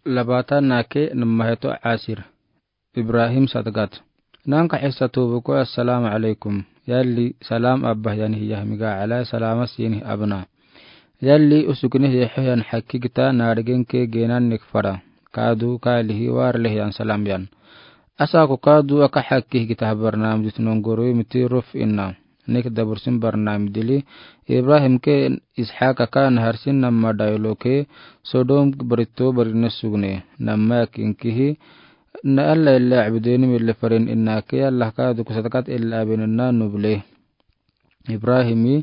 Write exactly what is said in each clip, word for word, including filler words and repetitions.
Labaatanaake, namaheto Asir. Ibrahim sadgat. Nanka hissa tubu ko, assalaamu alaykum. Yalli salaam abba hiyanih yahmiga alay salaama sinih abna. Yalli usuginih yehe hiyan hakki gita naarigenke geenan nik fara. Kaadu kaalihi warle hiyan salaam yan. Asa ko kaadu aka hakki gita barnaamij dit nongoro miti ruf inna. Nik dabursin barnaamij dili, Ibrahim ke Ishaq aka Nahar sin namma daylo ke Sodom barito barine sugne. Namma kinkihi, na Allah illa abdeni mille farin inna ke Allah kaadu ko sadgat illa abin inna nuble. Ibrahimi,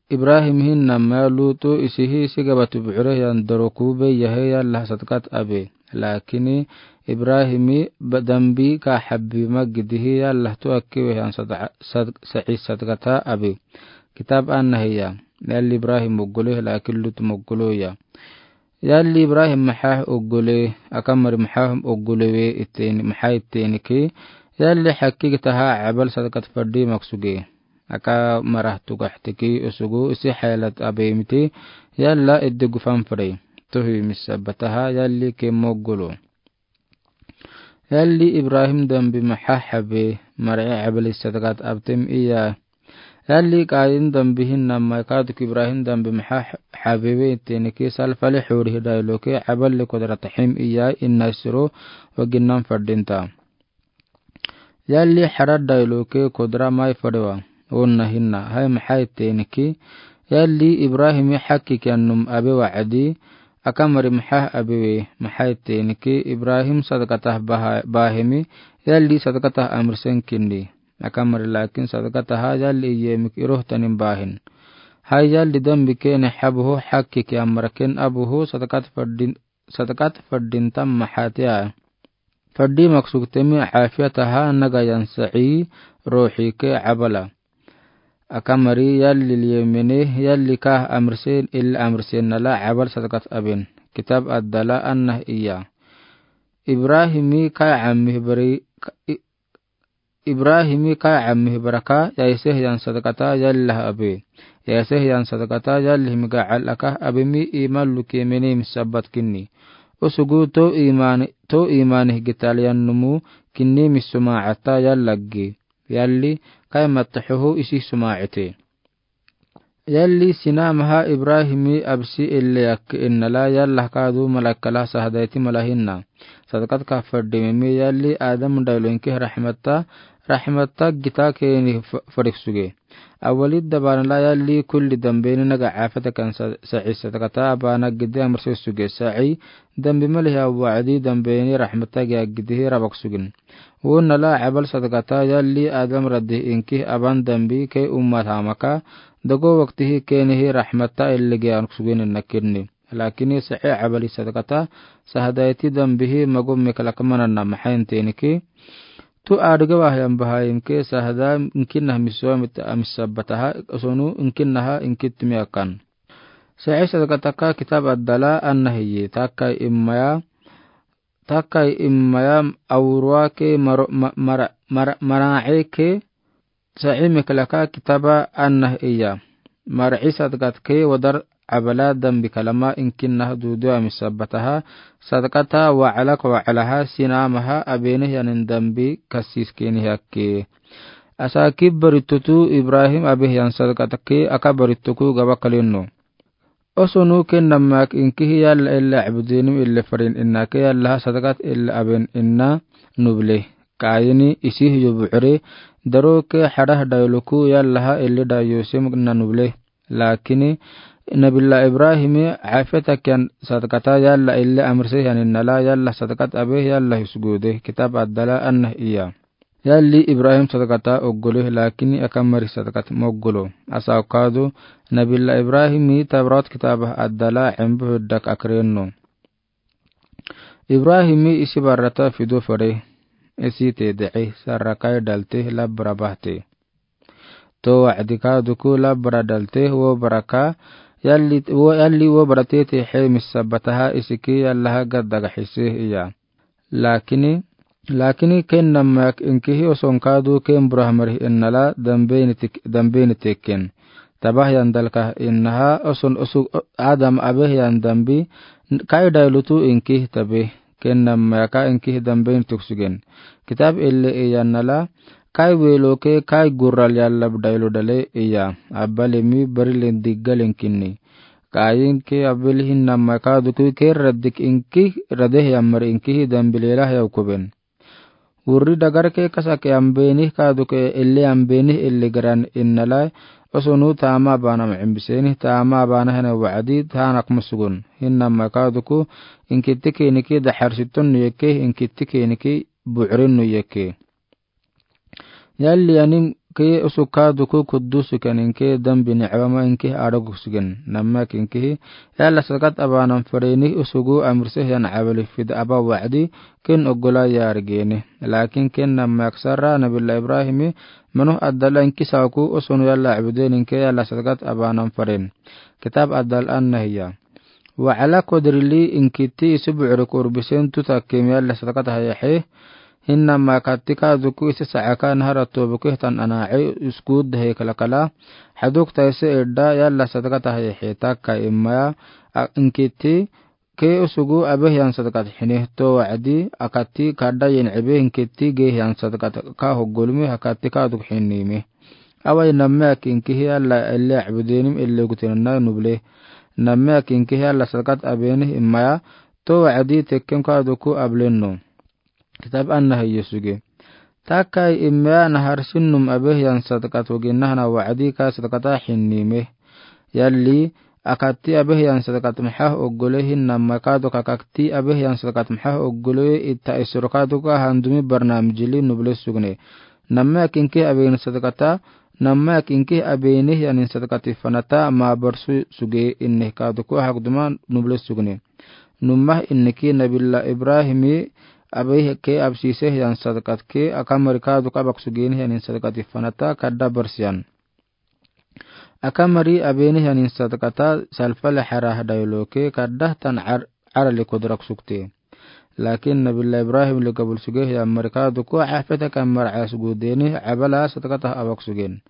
Ibrahim hin namma Lutu isihi sigabatu buure yan doroku be yahe ya Allah sadgat abe. Lakini Ibrahimi ba-, dambi ka habbi magidihi ya Allah tu akki we hiyan sad-, sad-, sa'i sadgata abe. Kitab an nahiya. Yalli Ibrahim moggole, lakin Lut moggolo ya. Yalli Ibrahim maha oggole, aka mari maha oggole we iten, maha iten ki. Yalli hakki gitaha abal sadgat faddi maksuge. Aka marah tugahtiki usugu isi haylat abe miti, yalla edde gufan fadai. Tuhi misabataha yalli ke moggolo. Yalli Ibrahim dambi maha habe, mar'i abali sadgat abtem iya. Yalli Kayin dambi hin namma kaadu ko Ibrahim dambi maha habe we teniki sal fali huri hidaylo ke abali kodrat him iya inna siro waginnan fadinta. Yalli Harad daylo ke kodra mai fadewa. Onna hinna, hay maha iteniki. Yalli Ibrahimi hakki kiyan num abe wa'adi, aka mari maha abe we, maha iteniki. Ibrahim sadgatah baha-, bahimi, yalli sadgatah amrisen kinni. Aka mari lakin sadgataha yalli iyemik iroh tanin bahin. Hay yalli dambi kene habuhu hakki kiyan maraken abuhu sadgat fadin-, sadgat fadintam mahatia. Faddi maksugtemi afiyataha nagayan sa'i ruhi ke abala. Aka mari yalli liyemene yalli kah amrisen illa amrisen nala abal sadgat abin. Kitab addala annah iya. Ibrahimi kai ammi bari, i-, Ibrahimi kai ammi baraka, yaiseh yan sadgata yallah abe. Yaiseh yan sadgata yallah miga alaka abimi iman luke mene misabat kinni. Usugu to iman, to imanih gital yan numu kinni misuma ata yallaggi. Yalli kai matahuhu isi suma ete. Yalli sinamaha Ibrahimi absi ille yakke innala yallah kaadu malakala sahadaiti malahinna. Sadgat ka fadimimi yalli Adam daylo inki rahmata, rahmata gita keni f-, farik suge. Awali dabanala yalli kulli dambeni naga afata kan sa-, sa'i sadgata abana gidi amrse suge sa'i dambi maliha wa'adi dambeni rahmata gia gidi rabak sugin. Wonala abal sadgata yalli Adam radi inki aban dambi ke ummat hamaka, dago waktihi kenihi rahmata ille gia sugin nakinni. Lakini sa'i abali sadgata sahadaiti dambihi magum mikalak manana mahain teniki. Tu adga wahyan bahaim ke sahada inkinah miswa mit-, misabataha, osonu inkinah inkit miakan. Sa'i sadgataka kitab addala annahiyi, takai immaya, takai immaya awrua ke maro-, ma-, mara-, mara-, mara'i ke sa'i mikalaka kitaba annah iya. Mara'i sadgat ke wadar abala dambi kalama inkinah dudu amisabataha, sadgata wa'alak wa'alaha sinamaha abeneh yanin dambi kasis keni hakke. Asa ki baritutu Ibrahim abeh yan sadgata ke aka barituku gaba kalino. Osonu ke namak inkihi yalla illa abudinu illa farin inna ke yallaha sadgat illa aben inna nuble. Kayini isih yubu'ri daro ke harah dayuluku yallaha illa dayusim inna nuble. Lakini Nabila Ibrahimi afeta kiyan sadgata yalla illa amrse yanin nala yalla sadgat abeh yalla husgude kitab addala annah iya. Yalli Ibrahim sadgata oggole lakini aka mari sadgat moggolo. Asa okado Nabila Ibrahimi Tawrat kitabah addala embu huddak akreno. Ibrahimi isi barata fido fare. Isi te de'e sarakai dalte labra bahte. To wa'dika duku labra dalte wo baraka yalli wo, yalli wo barate te he misabataha isiki yallaha gaddaga hise iya. Lakini, lakini ken namak inkihi oson kadu ken burah marih innala dambeni tik-, dambeni teken. Tabah yan dalkah innaha oson osu Adam abeh yan dambi Kai daylutu iŋkihtabe, kennamma ka iŋkih dambein toksugen. Kitaab elle iyan nala, kai weloke kai gurral yallab daylu dale iya, abale mi barile diggalen kinni. Kayin ke abel hinnamma ka duku ke radik iŋkih radeh yammar iŋkih dambilela yaw kuben. Wurri dagarke kasake ambenih kaduke elle ambenih elle garan innalai, osonu tama banam imbiseni tama banahene wa'adi tanak musugun. Hinnamma kaduku inkitike niki daharsiton nuyeke inkitike niki bu'rin nuyeke. Yalli anim ke usuk kaduku kudusuken inke dambi ni'abama inke adaguksugen. Nammak inkehi, yalla sadaqat abanam farenih usugu amrseh yan abali fid aba wa'adi, ken ogola yargene. Lakin ken nammak sarra Nabila Ibrahimi, manu adala inkisaku usunu yalla abuden inke yalla sadaqat abanam faren. Kitab adal annahiya. Wa'ala kodrili inkiti isi bu'ri kurbisen tuta kemi yalla sadaqat hayahe. Hinnamma katti kaduku isi sa'aka nahara tobuke tan ana'i uskud dahe kalakala. Haduk taise edda yalla sadaqat hayahe takka immaya inkiti ke usugu abeh yan sadaqat hine to wa'adi akatti kadda yin ebe inkiti ge yan sadaqat ka hoggolumi hakatti kaduk hinime. Awai namme akinkihi yalla elle abudenim elle gutenna nuble. Namme akinkihi yalla sadaqat abenih immaya to wa'adi tekkem kaduku ablenno. Kitab annahi yosuge. Takai immaya naharsinnum abeh yan sadaqat waginnahna wa'adi ka sadaqata hinnime. Yalli akatti abeh yan sadaqat maha oggole hinnamma kaduk akatti abeh yan sadaqat maha oggole itta isur kaduka handumi barnamijili nuble sugne. Namme akinkihi abeh yan sadaqata, namme akinkihi abenih yanin sadaqati fanata ma barsu suge inne kaduku hakduma nuble sugne. Numah inneki Nabila Ibrahimi abeh ke absiseh yan sadaqat ke akamari kaduka abak sugenih yanin sadaqati fanata kadda barsiyan. Akamari abenih yanin sadaqata salfale harah dayloke kadda tan ar-, arali kodrak sukte. Lakin Nabila Ibrahim le gabul suge yammari kaduku hafeta kammar asgudeni abala sadaqata abak sugen.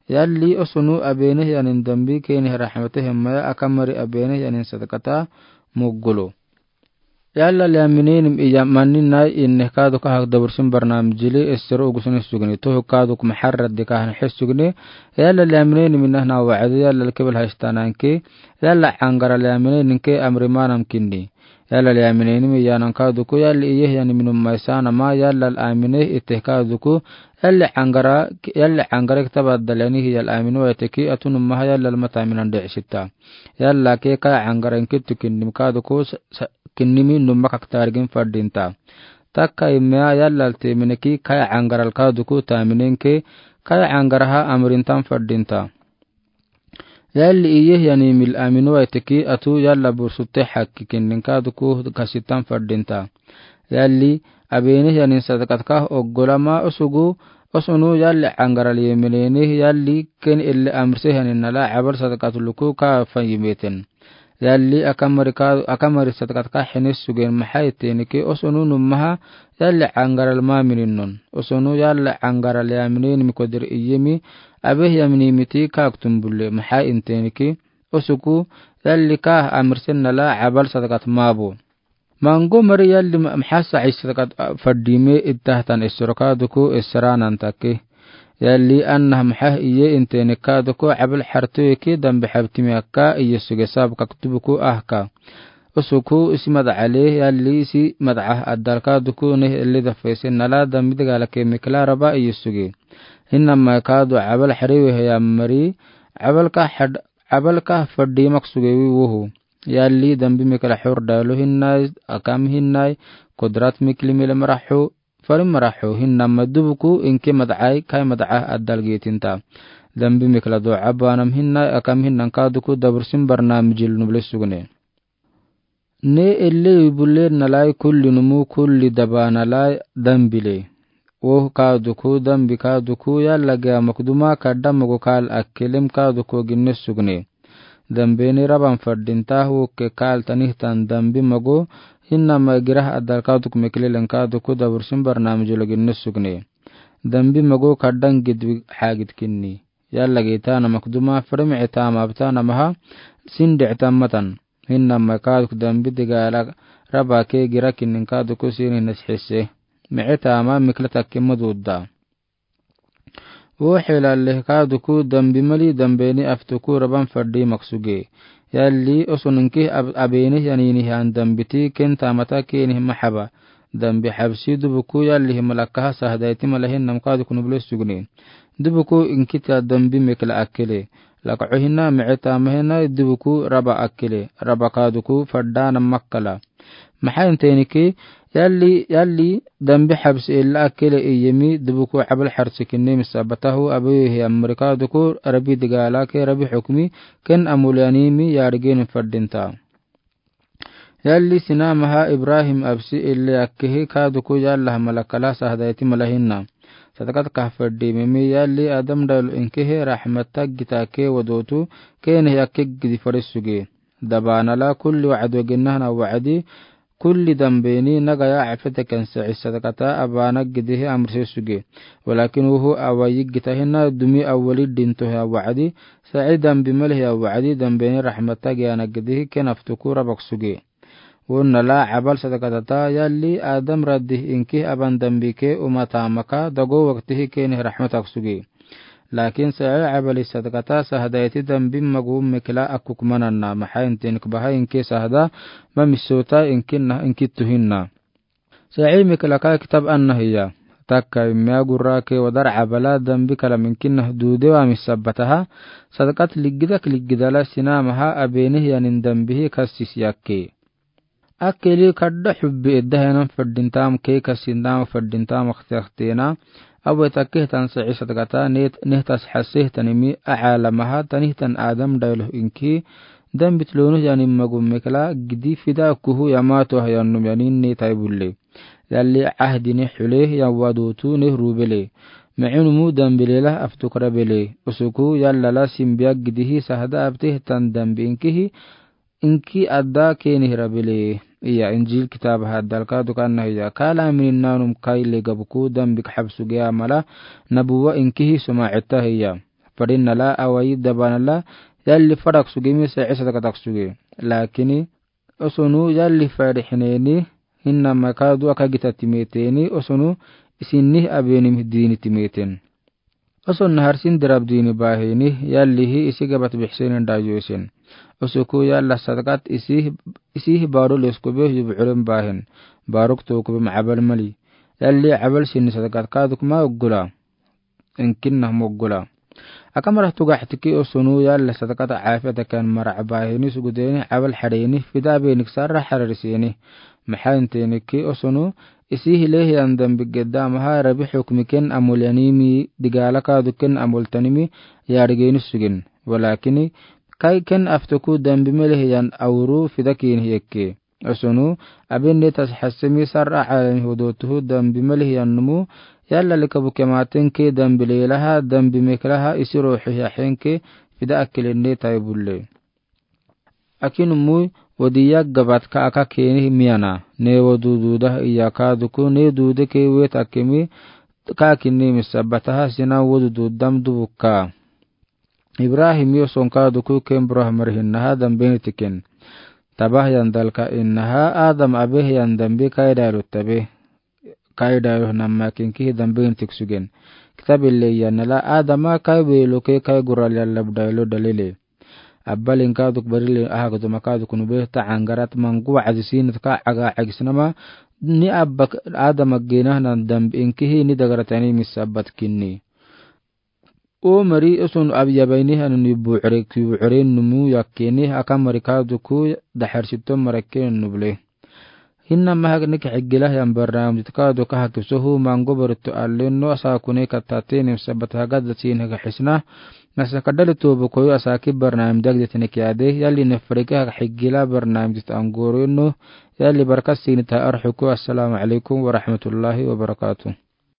Yalli osunu abenih yanin dambi kenih rahmate hemmaya akamari abenih yanin sadaqata muggulu. Yalla liaminenim iya manni nai inne kaduka hak dabursin barnamijili esero ugusunih sugne. Tohu kaduk maharra dika han his sugne. Yalla liaminenim inahna wa'adi yalla kebel hashtananke. Yalla angara liaminenim ke amri manam kinni. Yalla liaminenim iyanan kaduku yalli iyeh yanim inum maisanama yalla amine iteh kaduku. Yalli angara, yalli angara kitab adal yani hiyal aminu waiteki atunum maha yalla mata minan de'sita. Yalla ke kaya angara inkitu kinnim kaduku sa-, sa-, kinnimi numma kaktargin fardinta. Takka immea yalla temineki kaya angara kaduku taminenke kaya angara ha amrintan fardinta. Yalli iyeh yani mil aminu waiteki atu yalla bursutte hakki kinnin kaduku kasitan fardinta. Yalli abenih yanin sadaqatka oggolama usugu osunu yalli angara liyemineni yalli ken elle amrseh yanin nala abal sadaqat luku ka fanyimeten. Yalli akamari ka, akamari sadaqatka hinis sugen maha itenike osunu nummaha yalli angara lma mininnon. Osunu yalli angara liyamineni mi kodir iyemi abeh yaminimiti ka aktum bulle maha intenike osuku yalli ka amrsen nala abal sadaqat mabu. Mango mari yalli ma-, maha sa'i sadaqat, a, fardime ittahtan isroka duku isranan take. Yalli annah maha iye inteni ka duku abal hartu eke dambe habtimi akka iye suge sab kaktubuku ahka. Osuku isi mad'ale yalli isi mad'ah adal ka duku neh elli dafese nala dambi dagala ke mikla raba iye suge. Hinnama ka du abal hariwe heyammari abal ka had-, abal ka fardi maksuge wi wohu. Yalli dambi mikla hur dalu hinnai, akam hinnai, kudrat mikli mile marahu, farin marahu hinnama dubuku inke mad'ai kai mad'ah adal getinta. Dambi mikla du abanam hinnai, akam hinnan ka duku dabursin barnamijil nuble sugne. Ne elle wibule nalai kulli numu kulli daba nalai dambile. Woh ka duku dambi ka duku yalla ge amak duma kadda mogo kal akkelem ka duku ginne sugne. Dambe ni raban fardinta woh ke kal tanihtan dambi mogo hinnama girah adal ka duku meklelen ka duku dabursin barnamijilo ginne sugne. Dambi mogo kaddan gidwi hagid kinni. Yalla ge tana makduma frem etama abtana maha sinde etamatan. Hinnama kaaduk dambi digaala raba ke girakini kaaduk sini nasihise. Mi'e tama mikla takke maduda. Wo helale kaaduk dambi mali dambeni aftuku raban fadi maksuge. Yalli osun inki ab-, abeni yanini han dambiti ken tamata keni mahaba. Dambi habsi dubuku yalli himalakaha sahdaiti malahin nam kaaduk nubule sugni. Dubuku inkita dambi mekla akele. Laka ohina mi'e tama hina dubuku raba akele. Raba kaaduku fadana makala. Maha inteni ke, yalli, yalli, dambi habsi ella akele iyemi, dubuku abal harsikinni misabatahu, abehe amrika duku, rabi digala ke, rabi hukmi, ken amulianimi, yargin fadinta. Yalli sina maha Ibrahim absi ella akkehe, kaaduku yalla malakala sahdaiti malahinna. Sadakat kahfadimimi, yalli Adam dal inkehe, rahmat taggita ke wadotu, kene akke gidi farisuge. Dabanala kulli wa'ado ginnahna wa'adi, kulli dambeni nagaya afete kense isadakata abana gidihi amrse suge. Walakin wuhu awayi gitahina dumi awali dintohi wa'adi, sa'i dambi malihi wa'adi, dambeni rahmata giyana gidihi ken aftuku rabak suge. Wunnala abal sadakatata yalli Adam raddi inki aban dambi ke umata maka dago waktihi keni rahmatak suge. Lakin sa'i abali sadakata sahdaiti dambi magu mekla akuk mananna maha intin kbaha inki sahda ma misota inkinna inki tuhinna. Sa'i mekla ka kitab anna hiya. Takka imya gurra ke wadar abala dambi kalam inkinna dude wa misabataha. Sadakat ligidak ligidala sina maha abeni hiyanin dambihi kassis yakke. Akeli kadda hubbi edda henan fadintam ke kasinam fadintam akhtena. Awe takehtan sa'i sadakata net nehtas hasehtanimi a'alamaha tanihtan Adam dailoh inki. Dambit lonuh yanim magum mekla gidi fida kuhu yamato hayanum yanin netai bulle. Yalli ahdini hule yawadutu ne rubele. Ma'unumu dambilela aftukra bele. Usuku yallala simbiya gidihi sahda abtehtan dambi inkihi. Inki adda keni hira bele. Iya Injil kitab haddal kaaduk anna hiya. Kala minin nanum kai legabuku dambik habsuge amala nabuwa inkihi suma etta hiya. Fadinnala awayi dabanala yalli fadak sugemi sa'i sadakatak suge. Lakini osonu yalli fadihineni hinna makadu aka gita timeteni osonu isinni abeni dini timeten. Oson naharsin dirab dini bahini yallihi isi gabat bihsinin dayusin. Osuku yalla sadakat isi isi baru leskube yub'urin bahin. Baruk tokube ma'abal mali. Yalli abal sinni sadakat kaduk ma uggula. Inkinna moggula. Akamarah tugahtiki osonu yalla sadakat afiyatakan mara bahini sugudeni abal hadeni fida benik sarra hararisini. Maha inteni ke osonu isi hilehi andam bigedda maha rabi hukmi ken amul yanimi digala kadu ken amul tanimi yarigeni sugin. Walakini kai ken aftuku dambi melehi yan awru fida kini yekke. Osonu abin netas hasemi sarra alami hudotuhu dambi melehi yan numu yalla likabu kematen ke dambi lelaha dambi meklaha isi ruhi yahen ke fida akilin netai bulle. Akinumui wadiya gabatka aka keni miyana ne wadududa iyaka duku ne dude ke wet akemi ka kinni misabataha sina wadudu dam dubuka. Ibrahim yoson ka duku ken burah marihinnaha dambe nitiken. Tabah yan dalka innaha Adam abeh yan dambe kai dalu tabe. Kai dalu namma kinkihi dambe nitik sugen. Kitab ille yannala Adama kai weluke kai gural yallab dalu dalile. Abbalin kaduk barile ahagduma kaduk nube ta angarat mangu azisinat ka aga agisnama ni abbak Adama genahnan dambi inkihi ni dagaratani misabbat kinni. O mari oson abyabaini hanani bu'ure ki bu'ure numu yakkeni aka mari kaduku daharsito marakke nubule. Hinna mahak nik higila yan barnamijit kaduka hakisohu mango barito allen no asakune katateni misabbat hagad dasin haka hisna. Nasa kadali tobu koyo asaki barnamij dagdetene kiyade yalli nefreke haka higila barnamijit angoro no yalli barkasinita arhuku. Assalamu alaikum warahmatullahi wabarakatuh.